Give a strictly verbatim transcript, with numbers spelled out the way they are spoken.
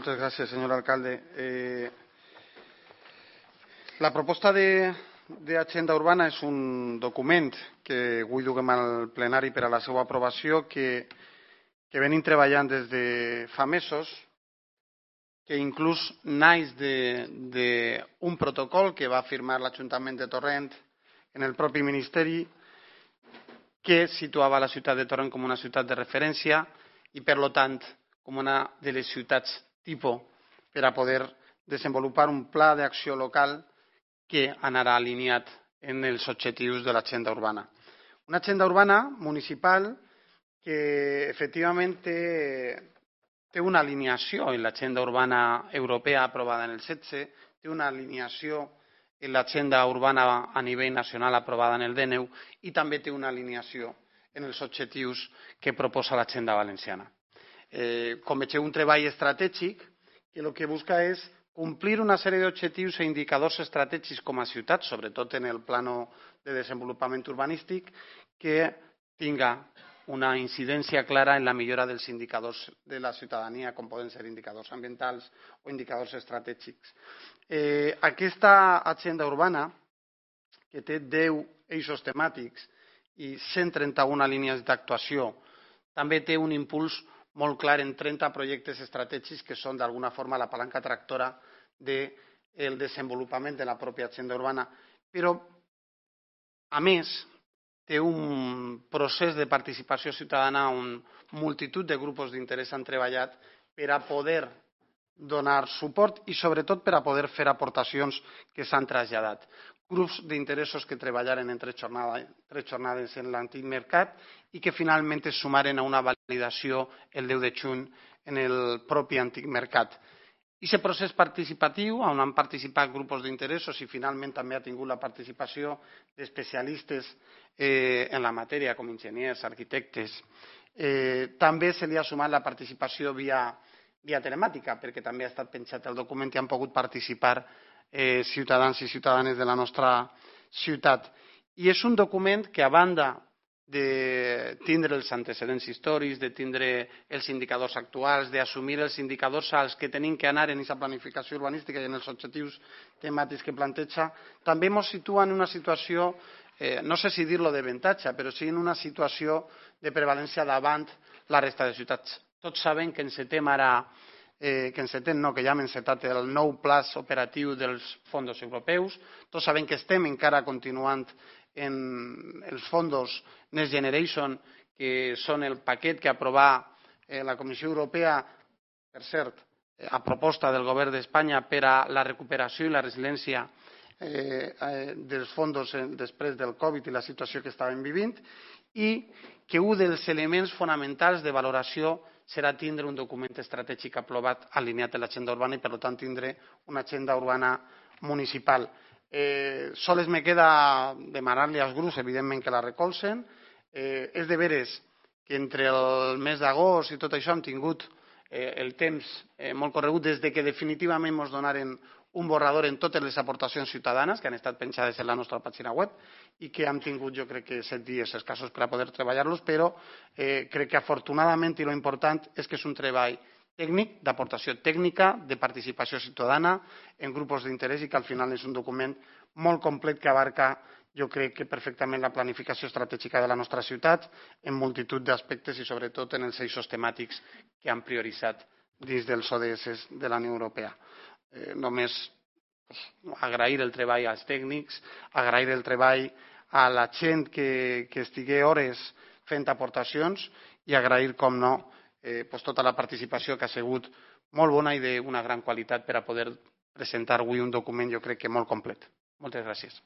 Muchas gracias, señor alcalde. Eh, la proposta de, de Agenda Urbana és un document que avui duguem al plenari per a la seva aprovació que, que venim treballant des de fa mesos, que inclús naix d'un protocol que va firmar l'Ajuntament de Torrent en el propi Ministeri, que situava la ciutat de Torrent com una ciutat de referència i, per tant, com una de les ciutats tipus per a poder desenvolupar un pla d'acció local que anarà alineat en els objectius de l'agenda urbana. Una agenda urbana municipal que efectivament té, té una alineació en l'agenda urbana europea aprovada en el setze, té una alineació en l'agenda urbana a nivell nacional aprovada en el dènou i també té una alineació en els objectius que proposa l'agenda valenciana. Eh, com vegeu, un treball estratègic que el que busca és complir una sèrie d'objectius i indicadors estratègics com a ciutat, sobretot en el plano de desenvolupament urbanístic, que tinga una incidència clara en la millora dels indicadors de la ciutadania, com poden ser indicadors ambientals o indicadors estratègics. Eh, aquesta agenda urbana, que té deu eixos temàtics i cent trenta-una línies d'actuació, també té un impuls molt clar en trenta projectes estratègics que són d'alguna forma la palanca tractora del desenvolupament de la pròpia agenda urbana. Però, a més, té un procés de participació ciutadana on multitud de grups d'interès han treballat per a poder donar suport i, sobretot, per a poder fer aportacions que s'han traslladat. Grups d'interessos que treballaren en tres jornades en l'antic mercat i que finalment es sumaren a una validació el deu de juny en el propi antic mercat. I aquest procés participatiu, on han participat grups d'interessos i finalment també ha tingut la participació d'especialistes en la matèria, com enginyers, arquitectes, també se li ha sumat la participació via telemàtica, perquè també ha estat penjat el document i han pogut participar ciutadans i ciutadanes de la nostra ciutat. I és un document que, a banda de tindre els antecedents històrics, de tindre els indicadors actuals, d'assumir els indicadors als que tenim que anar en aquesta planificació urbanística i en els objectius temàtics que planteja, també ens situa en una situació, no sé si dir-lo d'avantatge, però sí en una situació de prevalència davant la resta de ciutats. Tots sabem que encetem ara, que encetem no, que ja hem encetat el nou pla operatiu dels fons europeus, tots sabem que estem encara continuant en els fons Next Generation, que són el paquet que aprovà la Comissió Europea, per cert, a proposta del govern d'Espanya per a la recuperació i la resiliència dels fons després del Covid i la situació que estàvem vivint, i que un dels elements fonamentals de valoració serà tindre un document estratègic aprovat alineat a l'agenda urbana i, per tant, tindre una agenda urbana municipal. Sols me queda demanar-li als grups, evidentment, que la recolzen. És de veres que entre el mes d'agost i tot això hem tingut el temps molt corregut des que definitivament ens donaren un borrador en totes les aportacions ciutadanes que han estat penjades en la nostra pàgina web i que hem tingut, jo crec que, set dies escassos per a poder treballar-los, però crec que afortunadament i l'important és que és un treball tècnic, d'aportació tècnica, de participació ciutadana en grups d'interès i que al final és un document molt complet que abarca, jo crec que perfectament, la planificació estratègica de la nostra ciutat en multitud d'aspectes i sobretot en els eixos temàtics que han prioritzat dins dels O D S de la Unió Europea. Només agrair el treball als tècnics, agrair el treball a la gent que estigué hores fent aportacions i agrair, com no, tota la participació que ha sigut molt bona i d'una gran qualitat per a poder presentar avui un document, jo crec que molt complet. Moltes gràcies.